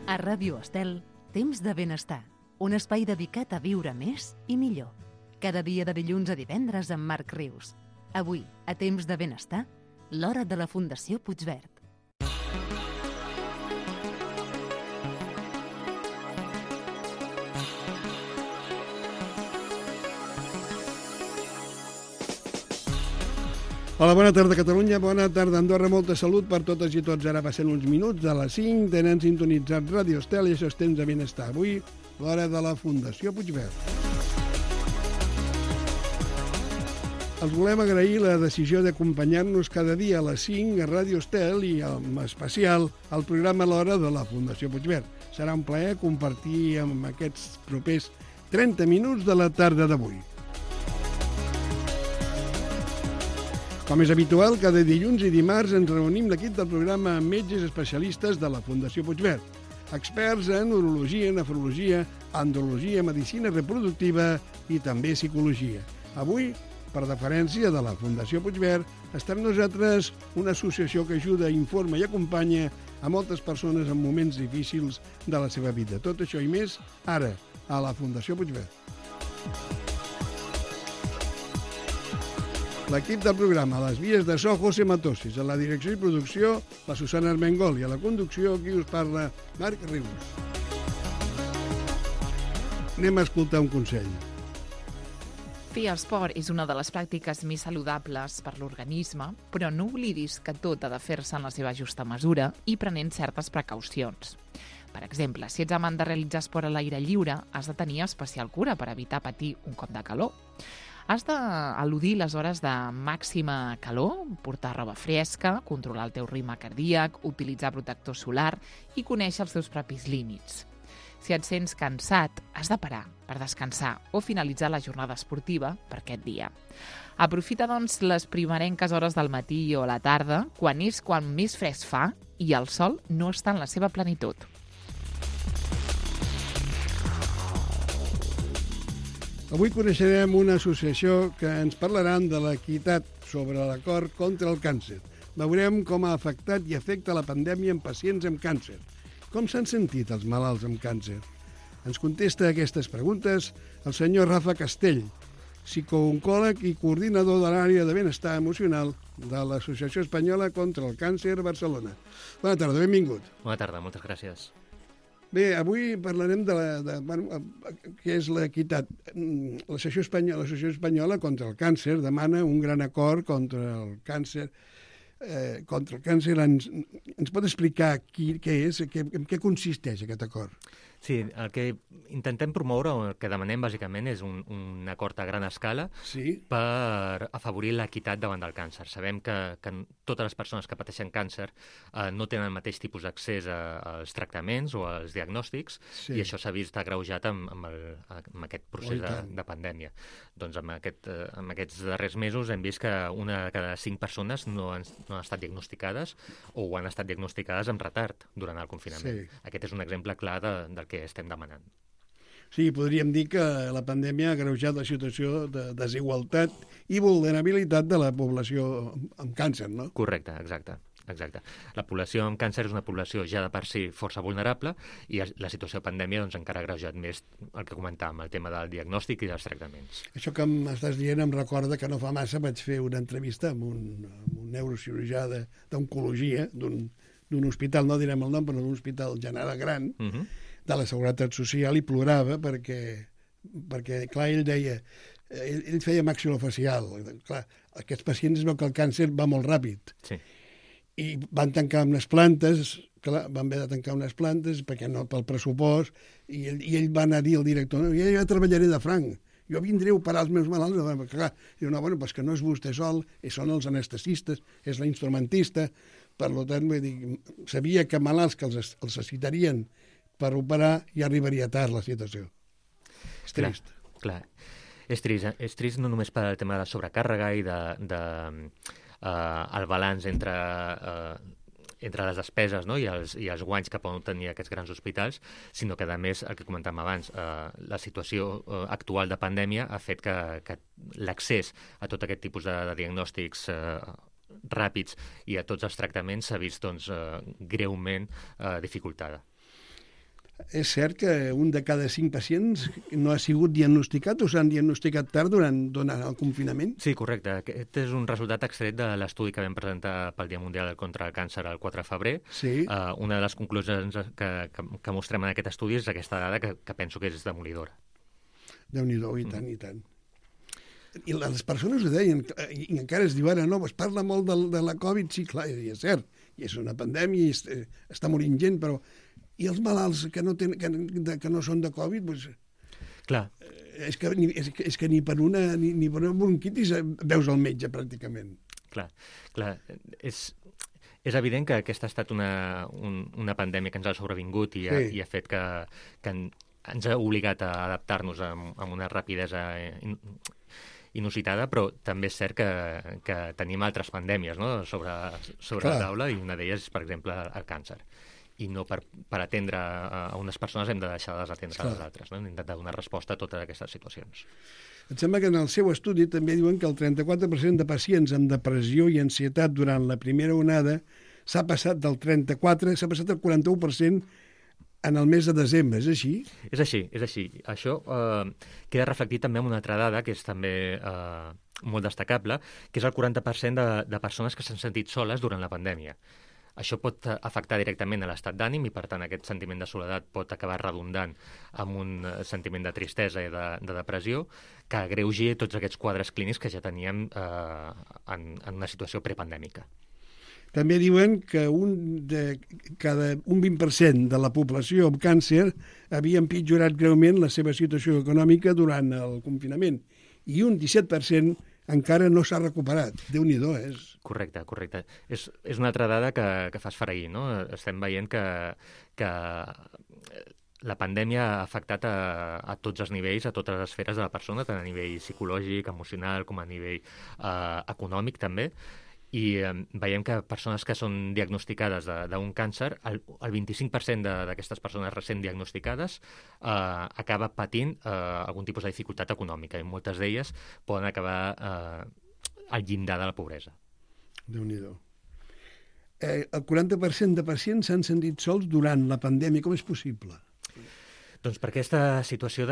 A Ràdio Estel, Temps de Benestar, un espai dedicat a viure més i millor. Cada dia de dilluns a divendres amb Marc Rius. Avui, a Temps de Benestar, l'hora de la Fundació Puigverd. Hola, bona tarda Catalunya, bona tarda Andorra, molta salut per totes i tots. Ara passen uns minuts de les 5, tenen sintonitzat Ràdio Estel i això és Temps de Benestar. Avui, l'hora de la Fundació Puigverd. Els volem agrair la decisió d'acompanyar-nos cada dia a les 5 a Ràdio Estel i en especial al programa L'Hora de la Fundació Puigverd. Serà un plaer compartir amb aquests propers 30 minuts de la tarda d'avui. Com és habitual, cada dilluns i dimarts ens reunim l'equip del programa amb metges especialistes de la Fundació Puigverd, experts en urologia, nefrologia, andrologia, medicina reproductiva i també psicologia. Avui, per deferència de la Fundació Puigverd, està amb nosaltres una associació que ajuda, informa i acompanya a moltes persones en moments difícils de la seva vida. Tot això i més, ara, a la Fundació Puigverd. L'equip del programa, a les vies de so, José Matossis, a la direcció i producció, la Susana Armengol, i a la conducció, qui us parla, Marc Rius. Anem a escoltar un consell. Fer esport és una de les pràctiques més saludables per l'organisme, però no oblidis que tot ha de fer-se en la seva justa mesura i prenent certes precaucions. Per exemple, si ets amant de realitzar esport a l'aire lliure, has de tenir especial cura per evitar patir un cop de calor. Has d'eludir les hores de màxima calor, portar roba fresca, controlar el teu ritme cardíac, utilitzar protector solar i conèixer els teus propis límits. Si et sents cansat, has de parar per descansar o finalitzar la jornada esportiva per aquest dia. Aprofita, doncs, les primerenques hores del matí o a la tarda, quan més fresc fa i el sol no està en la seva plenitud. Avui coneixerem una associació que ens parlaran de l'equitat sobre l'acord contra el càncer. Veurem com ha afectat i afecta la pandèmia en pacients amb càncer. Com s'han sentit els malalts amb càncer? Ens contesta a aquestes preguntes el senyor Rafa Castell, psicooncòleg i coordinador de l'àrea de benestar emocional de l'Associació Espanyola contra el Càncer Barcelona. Bona tarda, benvingut. Bona tarda, moltes gràcies. Bé, avui parlarem de què és l'equitat. L'Associació Espanyola contra el Càncer demana un gran acord contra el càncer. Ens pot explicar què és, en què consisteix aquest acord? Sí, el que intentem promoure, o el que demanem bàsicament, és un acord a gran escala per afavorir l'equitat davant del càncer. Sabem que totes les persones que pateixen càncer no tenen el mateix tipus d'accés als tractaments o als diagnòstics i això s'ha vist agreujat amb aquest procés de pandèmia. Doncs amb aquests darrers mesos hem vist que una de cada 5 persones no han estat diagnosticades o han estat diagnosticades amb retard durant el confinament. Aquest és un exemple clar del que estem demanant. Sí, podríem dir que la pandèmia ha agreujat la situació de desigualtat i vulnerabilitat de la població amb càncer, no? Correcte, exacte. La població amb càncer és una població ja de per si força vulnerable i la situació de pandèmia encara ha agreujat més el que comentàvem, el tema del diagnòstic i dels tractaments. Això que m'estàs dient em recorda que no fa massa vaig fer una entrevista amb un neurocirurgià d'oncologia d'un hospital, no direm el nom, però d'un hospital general gran, de la Seguretat Social, i plorava perquè clar, ell deia, ell feia maxilofacial, clar, aquests pacients veu que el càncer va molt ràpid. Sí. I van tancar unes plantes, clar, van haver de tancar unes plantes perquè no, pel pressupost, i ell va anar a dir al director, no, jo treballaré de franc, jo vindré a operar els meus malalts, clar, diu, no, bueno, pues que no és vostè sol, són els anestesistes, és la instrumentista, per tant, vull dir, sabia que malalts que els necessitarien per operar ja arribaria tard la situació. És trist. Clar. És trist no només per el tema de la sobrecàrrega i el balanç entre les despeses, no? i els guanys que poden tenir aquests grans hospitals, sinó que, a més, el que comentàvem abans, la situació actual de pandèmia ha fet que l'accés a tot aquest tipus de diagnòstics ràpids i a tots els tractaments s'ha vist greument dificultada. És cert que un de cada 5 pacients no ha sigut diagnosticat o s'han diagnosticat tard durant el confinament? Sí, correcte. Aquest és un resultat extret de l'estudi que vam presentar pel Dia Mundial contra el Càncer el 4 de febrer. Sí. Una de les conclusions que mostrem en aquest estudi és aquesta dada que penso que és demolidora. Déu-n'hi-do, i tant, i tant. I les persones ho deien, i encara es diu ara, no, es parla molt de la Covid, sí, clar, i és cert, i és una pandèmia, i està morint gent, però i els malalts que no són de Covid, doncs, clar. És que ni per una bronquitis veus el metge, pràcticament. Clar. És evident que aquesta ha estat una pandèmia que ens ha sobrevingut i ha fet que ens ha obligat a adaptar-nos amb una rapidesa inusitada, però també és cert que tenim altres pandèmies, no?, sobre la taula, i una d'elles és, per exemple, el càncer. I no per atendre a unes persones hem de deixar de desatendre a les altres, no? Hem d'intentar donar resposta a totes aquestes situacions. Em sembla que en el seu estudi també diuen que el 34% de pacients amb depressió i ansietat durant la primera onada s'ha passat del 34%, s'ha passat al 41% en el mes de desembre, és així? És així. Això queda reflectit també en una altra dada que és també molt destacable, que és el 40% de persones que s'han sentit soles durant la pandèmia. Això pot afectar directament a l'estat d'ànim i, per tant, aquest sentiment de soledat pot acabar redundant en un sentiment de tristesa i de depressió que agreugi tots aquests quadres clínics que ja teníem en una situació prepandèmica. També diuen que un 20% de la població amb càncer havia empitjorat greument la seva situació econòmica durant el confinament i un 17% encara no s'ha recuperat. Déu-n'hi-do, és... Correcte. És una altra dada que fa esfereir, no? Estem veient que la pandèmia ha afectat a tots els nivells, a totes les esferes de la persona, tant a nivell psicològic, emocional, com a nivell econòmic, també. I veiem que persones que són diagnosticades d'un càncer, el 25% d'aquestes persones recent diagnosticades acaba patint algun tipus de dificultat econòmica, i moltes d'elles poden acabar al llindar de la pobresa. Déu-n'hi-do. El 40% de pacients s'han sentit sols durant la pandèmia. Com és possible? Doncs per aquesta situació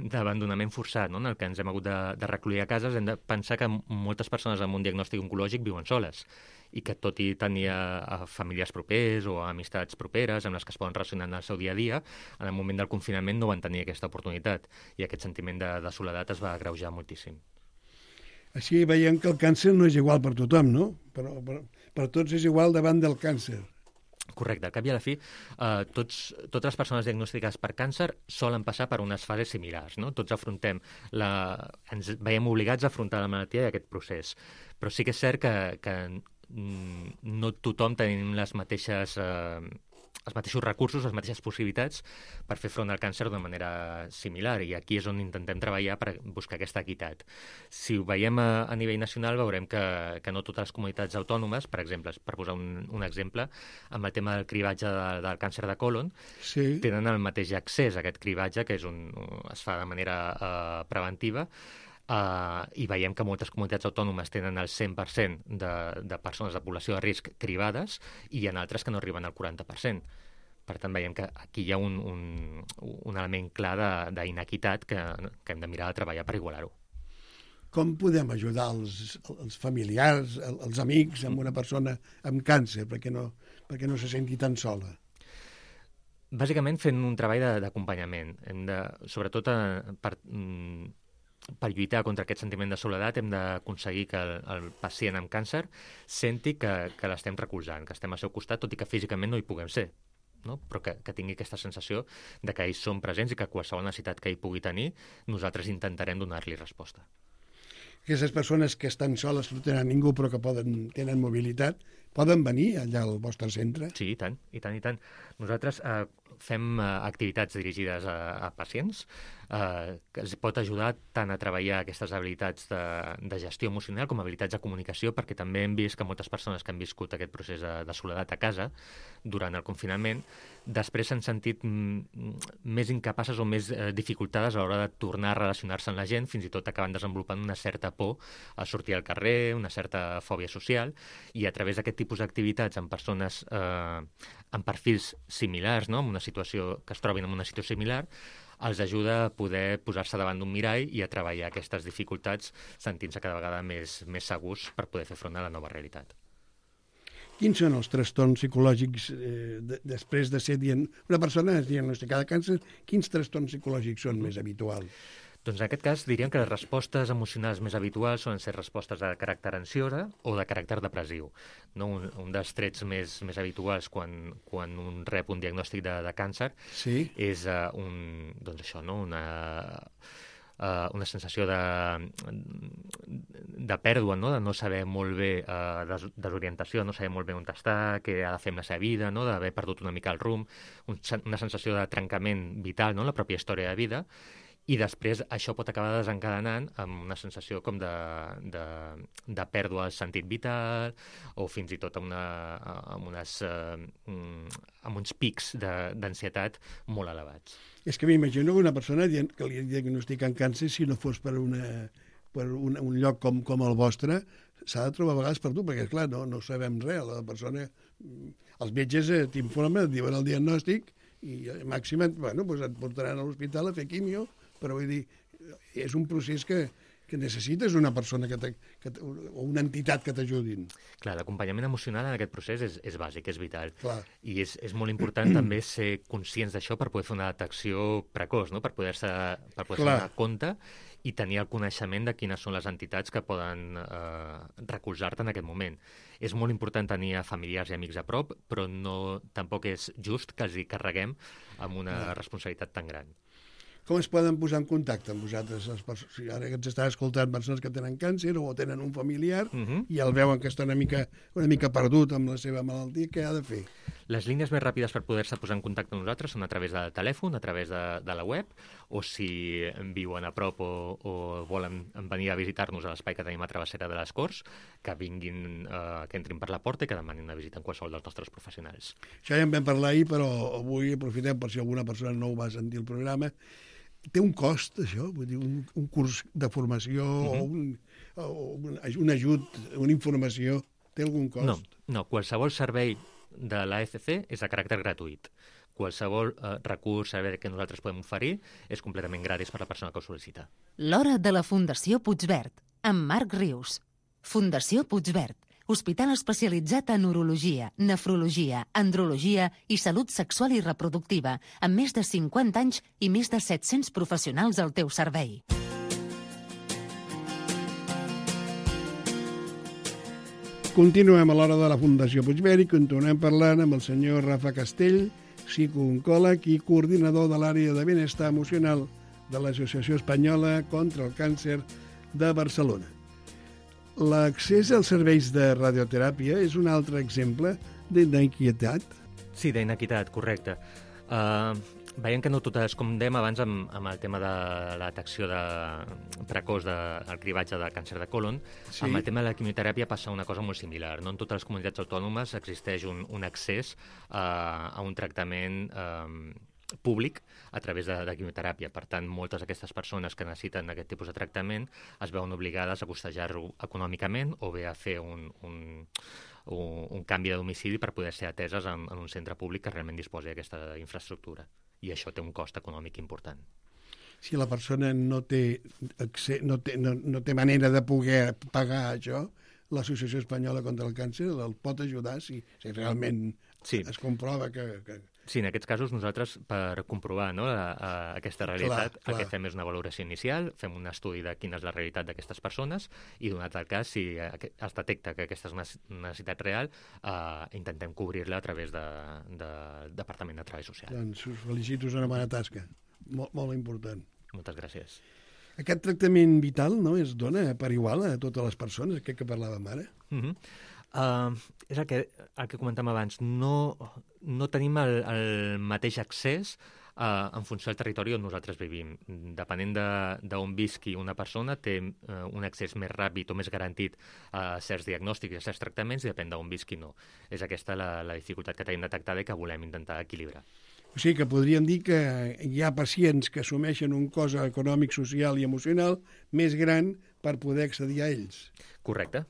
d'abandonament forçat, no?, en el que ens hem hagut de recluir a cases, hem de pensar que moltes persones amb un diagnòstic oncològic viuen soles i que, tot i tenir famílies propers o amistats properes amb les que es poden relacionar en el seu dia a dia, en el moment del confinament no van tenir aquesta oportunitat i aquest sentiment de soledat es va agreujar moltíssim. Així veiem que el càncer no és igual per tothom, no? Però per tots és igual davant del càncer. Correcte. Al cap i a la fi, totes les persones diagnosticades per càncer solen passar per unes fases similars, no? Tots ens veiem obligats a afrontar la malaltia i aquest procés. Però sí que és cert que no tothom tenim els mateixos recursos, les mateixes possibilitats per fer front al càncer d'una manera similar, i aquí és on intentem treballar per buscar aquesta equitat. Si ho veiem a nivell nacional, veurem que no totes les comunitats autònomes, per exemple, per posar un exemple, amb el tema del cribatge del càncer de còlon, tenen el mateix accés a aquest cribatge, que es fa de manera preventiva, i veiem que moltes comunitats autònomes tenen el 100% de persones de població de risc cribades i hi ha altres que no arriben al 40%. Per tant, veiem que aquí hi ha un element clar d'inequitat que hem de mirar de treballar per igualar-ho. Com podem ajudar els familiars, els amics, amb una persona amb càncer, perquè no se senti tan sola? Bàsicament fent un treball d'acompanyament. Sobretot per lluitar contra aquest sentiment de soledat hem d'aconseguir que el pacient amb càncer senti que l'estem recolzant, que estem al seu costat, tot i que físicament no hi puguem ser, no? Però que tingui aquesta sensació de que ells són presents i que qualsevol necessitat que ell pugui tenir, nosaltres intentarem donar-li resposta. Aquestes persones que estan soles, no tenen ningú però que tenen mobilitat, poden venir allà al vostre centre? Sí, i tant. Nosaltres fem activitats dirigides a pacients, que es pot ajudar tant a treballar aquestes habilitats de gestió emocional com habilitats de comunicació, perquè també hem vist que moltes persones que han viscut aquest procés de soledat a casa durant el confinament, després s'han sentit més incapaces o més dificultades a l'hora de tornar a relacionar-se amb la gent, fins i tot acaben desenvolupant una certa por a sortir al carrer, una certa fòbia social, i a través d'aquest tipus d'activitats amb persones amb perfils similars, no? Amb una situació que es trobin en una situació similar, els ajuda a poder posar-se davant d'un mirall i a treballar aquestes dificultats sentint-se cada vegada més segurs per poder fer front a la nova realitat. Quins són els trastorns psicològics després de ser una persona diagnosticada de càncer? Quins trastorns psicològics són més habituals? Doncs en aquest cas diríem que les respostes emocionals més habituals solen ser respostes de caràcter ansiosa o de caràcter depressiu. No? Un dels trets més habituals quan un rep un diagnòstic de càncer és doncs això, no? Una sensació de pèrdua, no? De no saber molt bé, desorientació, no saber molt bé on està, què ha de fer amb la seva vida, no? D'haver perdut una mica el rumb, una sensació de trencament vital, no? La pròpia història de vida. I després això pot acabar desencadenant amb una sensació com de pèrdua del sentit vital o fins i tot amb uns pics d'ansietat molt elevats. És que m'imagino que una persona que li diagnostiquen càncer, si no fos per un lloc com el vostre, s'ha de trobar a vegades per tu, perquè, clar, no sabem res. La persona, els metges t'informen, et diuen el diagnòstic i màxim et portaran a l'hospital a fer quimio, però vull dir, és un procés que necessites una persona o una entitat que t'ajudin. Clar, l'acompanyament emocional en aquest procés és bàsic, és vital. Clar. I és molt important també ser conscients d'això per poder fer una detecció precoç, no? Per poder-se donar compte i tenir el coneixement de quines són les entitats que poden recolzar-te en aquest moment. És molt important tenir familiars i amics a prop, però tampoc és just que els hi carreguem amb una responsabilitat tan gran. Com es poden posar en contacte amb vosaltres? Si ara que ens estan escoltant persones que tenen càncer o tenen un familiar i el veuen que està una mica perdut amb la seva malaltia, què ha de fer? Les línies més ràpides per poder-se posar en contacte amb nosaltres són a través del telèfon, a través de la web, o si viuen a prop o volen venir a visitar-nos a l'espai que tenim a Travessera de les Corts, que vinguin, que entrin per la porta i que demanin una visita en qualsevol dels nostres professionals. Això ja en vam parlar ahir, però avui aprofitem per si alguna persona no ho va sentir el programa. Té un cost, això? Vull dir, un curs de formació o un ajut, una informació, té algun cost? No. Qualsevol servei de l'AFC és de caràcter gratuït. Qualsevol recurs, servei que nosaltres podem oferir és completament gratis per la persona que ho sol·licita. L'Hora de la Fundació Puigverd, amb Marc Rius. Fundació Puigverd, hospital especialitzat en urologia, nefrologia, andrologia i salut sexual i reproductiva, amb més de 50 anys i més de 700 professionals al teu servei. Continuem a l'Hora de la Fundació Puigverd i continuem parlant amb el senyor Rafa Castell, psicooncòleg i coordinador de l'àrea de benestar emocional de l'Associació Espanyola contra el Càncer de Barcelona. L'accés als serveis de radioteràpia és un altre exemple d'inequitat? Sí, d'inequitat, correcte. Veiem que no totes, com dèiem abans amb el tema de la detecció precoç del cribatge de càncer de còlon, amb el tema de la quimioteràpia passa una cosa molt similar. No en totes les comunitats autònomes existeix un accés a un tractament públic a través de quimioteràpia. Per tant, moltes d'aquestes persones que necessiten aquest tipus de tractament es veuen obligades a costejar-ho econòmicament o bé a fer un canvi de domicili per poder ser ateses en un centre públic que realment disposi d'aquesta infraestructura. I això té un cost econòmic important. Si la persona no té manera de poder pagar això, l'Associació Espanyola contra el Càncer el pot ajudar si realment es comprova que... Sí, en aquests casos nosaltres, per comprovar aquesta realitat, el que fem és una valoració inicial, fem un estudi de quina és la realitat d'aquestes persones i, donat el cas, si es detecta que aquesta és una necessitat real, intentem cobrir-la a través del Departament de Treball Social. Doncs us felicito, és una bona tasca, molt important. Moltes gràcies. Aquest tractament vital es dona per igual a totes les persones, aquest que parlàvem ara? És el que comentàvem abans. No tenim el mateix accés en funció del territori on nosaltres vivim. Depenent d'on visqui una persona, té un accés més ràpid o més garantit a certs diagnòstics i a certs tractaments, i depèn d'on visqui no. És aquesta la dificultat que tenim detectada i que volem intentar equilibrar. O sigui que podríem dir que hi ha pacients que assumeixen un cost econòmic, social i emocional més gran per poder accedir a ells. Correcte.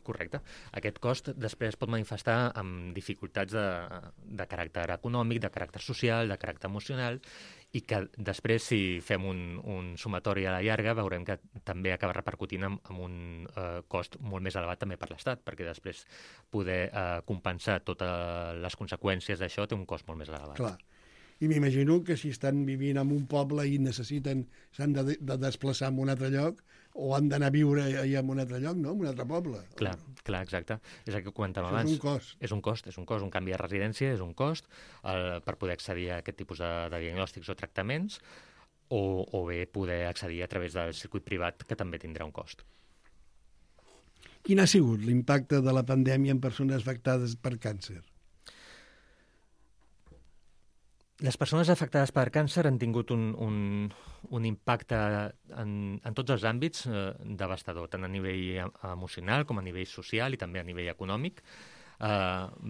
Aquest cost després es pot manifestar amb dificultats de caràcter econòmic, de caràcter social, de caràcter emocional, i que després, si fem un sumatori a la llarga, veurem que també acaba repercutint amb un cost molt més elevat també per l'Estat, perquè després poder compensar totes les conseqüències d'això té un cost molt més elevat. Clar. I m'imagino que si estan vivint en un poble i s'han de desplaçar a un altre lloc, o han d'anar a viure allà en un altre lloc, no? En un altre poble. Clar, exacte. És el que comentàvem abans. És un cost. És un cost. Un canvi de residència és un cost per poder accedir a aquest tipus de diagnòstics o tractaments, o bé poder accedir a través del circuit privat, que també tindrà un cost. Quin ha sigut l'impacte de la pandèmia en persones afectades per càncer? Les persones afectades per càncer han tingut un impacte en tots els àmbits devastador, tant a nivell emocional com a nivell social i també a nivell econòmic.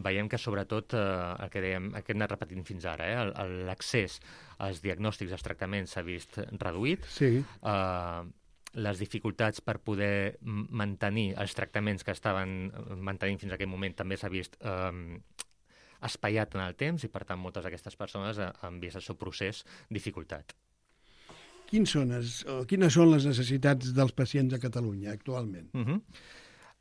Veiem que sobretot el que dèiem, el que hem anat repetint fins ara, l'accés als diagnòstics i als tractaments s'ha vist reduït. Sí. Les dificultats per poder mantenir els tractaments que estaven mantenint fins a aquell moment també s'ha vist espaiat en el temps, i per tant moltes d'aquestes persones han vist el seu procés dificultat. Quines són les necessitats dels pacients a Catalunya actualment?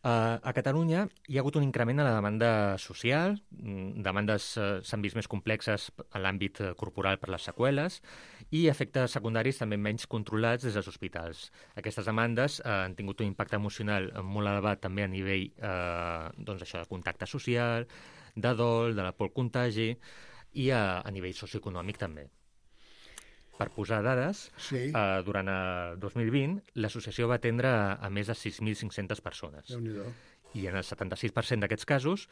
A Catalunya hi ha hagut un increment en la demanda social, demandes s'han vist més complexes en l'àmbit corporal per les seqüeles, i efectes secundaris també menys controlats des dels hospitals. Aquestes demandes han tingut un impacte emocional molt elevat també a nivell de contacte social, de dol, de la por al contagi, i a nivell socioeconòmic també. Per posar dades, sí. Durant el 2020 l'associació va atendre a més de 6.500 persones. Déu-n'hi-do. I en el 76% d'aquests casos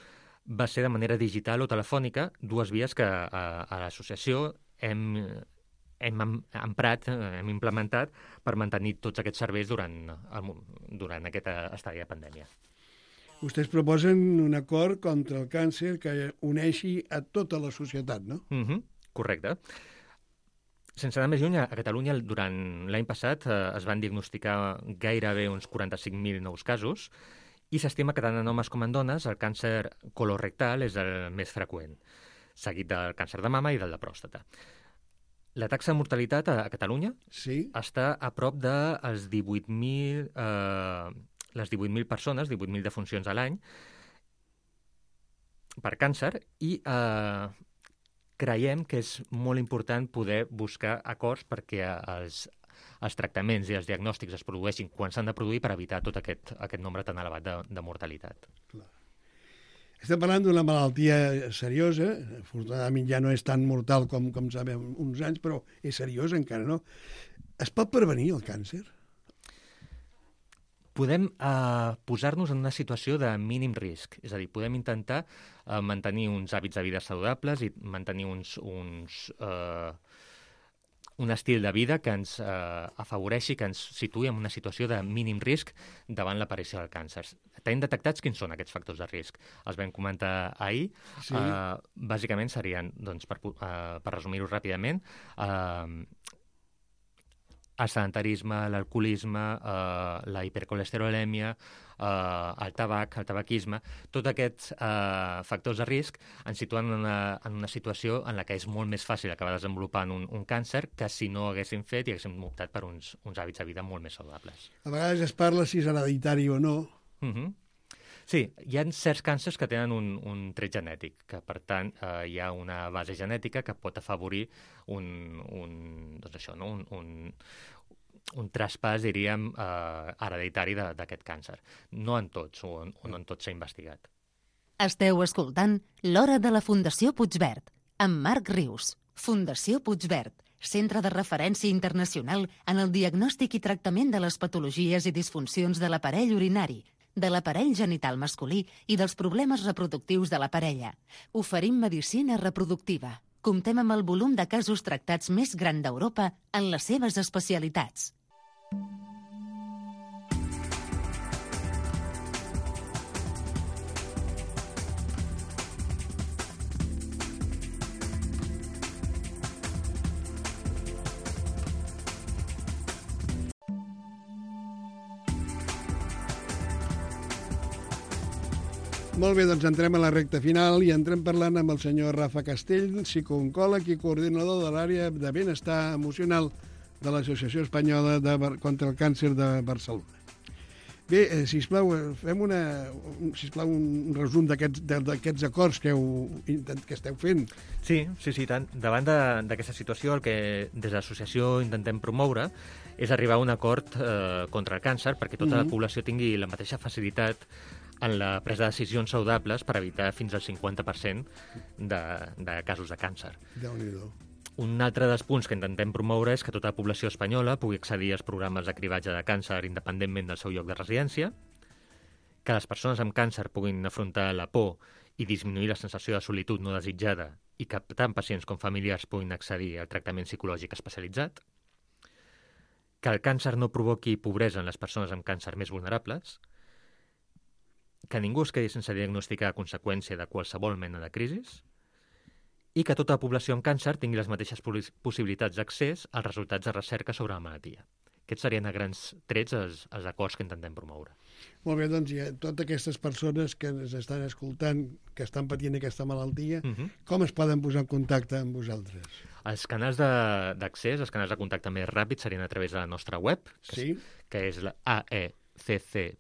va ser de manera digital o telefònica, dues vies que a l'associació hem emprat, hem implementat per mantenir tots aquests serveis durant aquest estadi de pandèmia. Vostès proposen un acord contra el càncer que uneixi a tota la societat, no? Correcte. Sense anar més lluny, a Catalunya durant l'any passat es van diagnosticar gairebé uns 45.000 nous casos, i s'estima que tant en homes com en dones el càncer colorectal és el més freqüent, seguit del càncer de mama i del de pròstata. La taxa de mortalitat a Catalunya està a prop de les 18.000 persones, 18.000 defuncions a l'any per càncer, i creiem que és molt important poder buscar acords perquè els tractaments i els diagnòstics es produeixin quan s'han de produir per evitar tot aquest nombre tan elevat de mortalitat. Clar. Estem parlant d'una malaltia seriosa, afortunadament ja no és tan mortal com sabem uns anys, però és seriosa encara, no? Es pot prevenir el càncer? Podem posar-nos en una situació de mínim risc, és a dir, podem intentar mantenir uns hàbits de vida saludables i mantenir un estil de vida que ens afavoreixi, que ens situï en una situació de mínim risc davant l'aparició del càncer. Tenim detectats quins són aquests factors de risc. Els vam comentar ahir. Sí. Bàsicament serien, doncs, per resumir-ho ràpidament, el sedentarisme, l'alcoholisme, la hipercolesterolèmia, el tabac, el tabaquisme, tots aquests factors de risc ens situen en una situació en la que és molt més fàcil acabar desenvolupant un càncer que si no haguéssim fet i haguéssim optat per uns hàbits de vida molt més saludables. A vegades es parla si és hereditari o no. Sí, hi ha certs càncers que tenen un tret genètic, que per tant hi ha una base genètica que pot afavorir un traspàs, diríem, hereditari d'aquest càncer. No en tots, o no en tots s'ha investigat. Esteu escoltant L'Hora de la Fundació Puigverd, amb Marc Rius. Fundació Puigverd, centre de referència internacional en el diagnòstic i tractament de les patologies i disfuncions de l'aparell urinari. de l'aparell genital masculí i dels problemes reproductius de la parella. Oferim medicina reproductiva. Comptem amb el volum de casos tractats més gran d'Europa en les seves especialitats. Molt bé, doncs entrem a la recta final i entrem parlant amb el senyor Rafa Castell, psicooncòleg i coordinador de l'àrea de benestar emocional de l'Associació Espanyola contra el Càncer de Barcelona. Bé, sisplau, fem un resum d'aquests acords que esteu fent. Sí, tant. Davant d'aquesta situació, el que des de l'associació intentem promoure és arribar a un acord contra el càncer perquè tota la població tingui la mateixa facilitat en la presa de decisions saludables per evitar fins al 50% de casos de càncer. Déu-n'hi-do. Un altre dels punts que intentem promoure és que tota la població espanyola pugui accedir als programes de cribatge de càncer independentment del seu lloc de residència, que les persones amb càncer puguin afrontar la por i disminuir la sensació de solitud no desitjada i que tant pacients com familiars puguin accedir al tractament psicològic especialitzat, que el càncer no provoqui pobresa en les persones amb càncer més vulnerables, que ningú es quedi sense diagnosticar a conseqüència de qualsevol mena de crisi i que tota la població amb càncer tingui les mateixes possibilitats d'accés als resultats de recerca sobre la malaltia. Aquests serien a grans trets els acords que intentem promoure. Molt bé, doncs totes aquestes persones que ens estan escoltant, que estan patint aquesta malaltia, com es poden posar en contacte amb vosaltres? Els canals d'accés, els canals de contacte més ràpids serien a través de la nostra web, que és la aecc.es.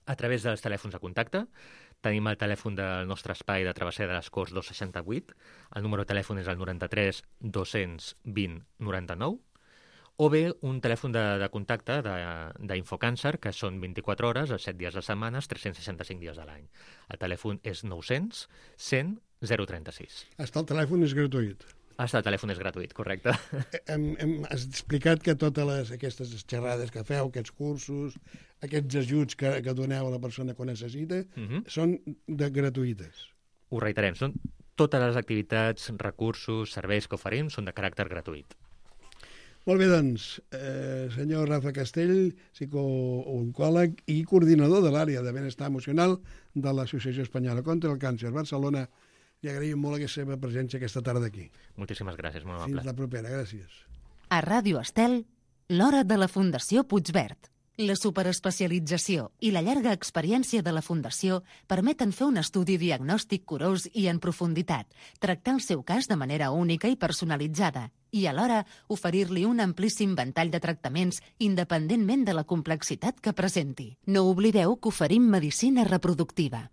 A través dels telèfons de contacte, tenim el telèfon del nostre espai de Travessera de les Corts 268, el número de telèfon és el 93 220 99, o bé un telèfon de contacte d'Infocàncer, que són 24 hores, els 7 dies de setmana, 365 dies de l'any. El telèfon és 900 100 036. El telèfon és gratuït. El telèfon és gratuït, correcte. Has explicat que totes aquestes xerrades que feu, aquests cursos, aquests ajuts que doneu a la persona que ho necessita, són gratuïtes. Ho reiterem, són totes les activitats, recursos, serveis que oferim són de caràcter gratuït. Molt bé, doncs, senyor Rafa Castell, psicooncòleg i coordinador de l'àrea de benestar emocional de l'Associació Espanyola contra el Càncer Barcelona, li agraïm molt la seva presència aquesta tarda aquí. Moltíssimes gràcies, molt amable. Fins la propera, gràcies. A Ràdio Estel, l'hora de la Fundació Puigverd. La superespecialització i la llarga experiència de la Fundació permeten fer un estudi diagnòstic curós i en profunditat, tractar el seu cas de manera única i personalitzada i alhora oferir-li un amplíssim ventall de tractaments independentment de la complexitat que presenti. No oblideu que oferim medicina reproductiva.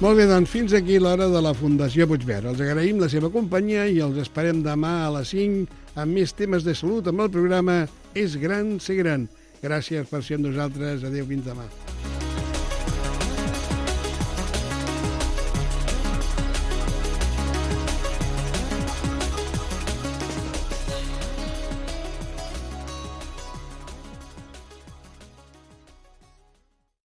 Molt bé, doncs fins aquí l'hora de la Fundació Puigverd. Els agraïm la seva companyia i els esperem demà a les 5 amb més temes de salut amb el programa És gran ser gran. Gràcies per ser amb nosaltres. Adéu, fins demà.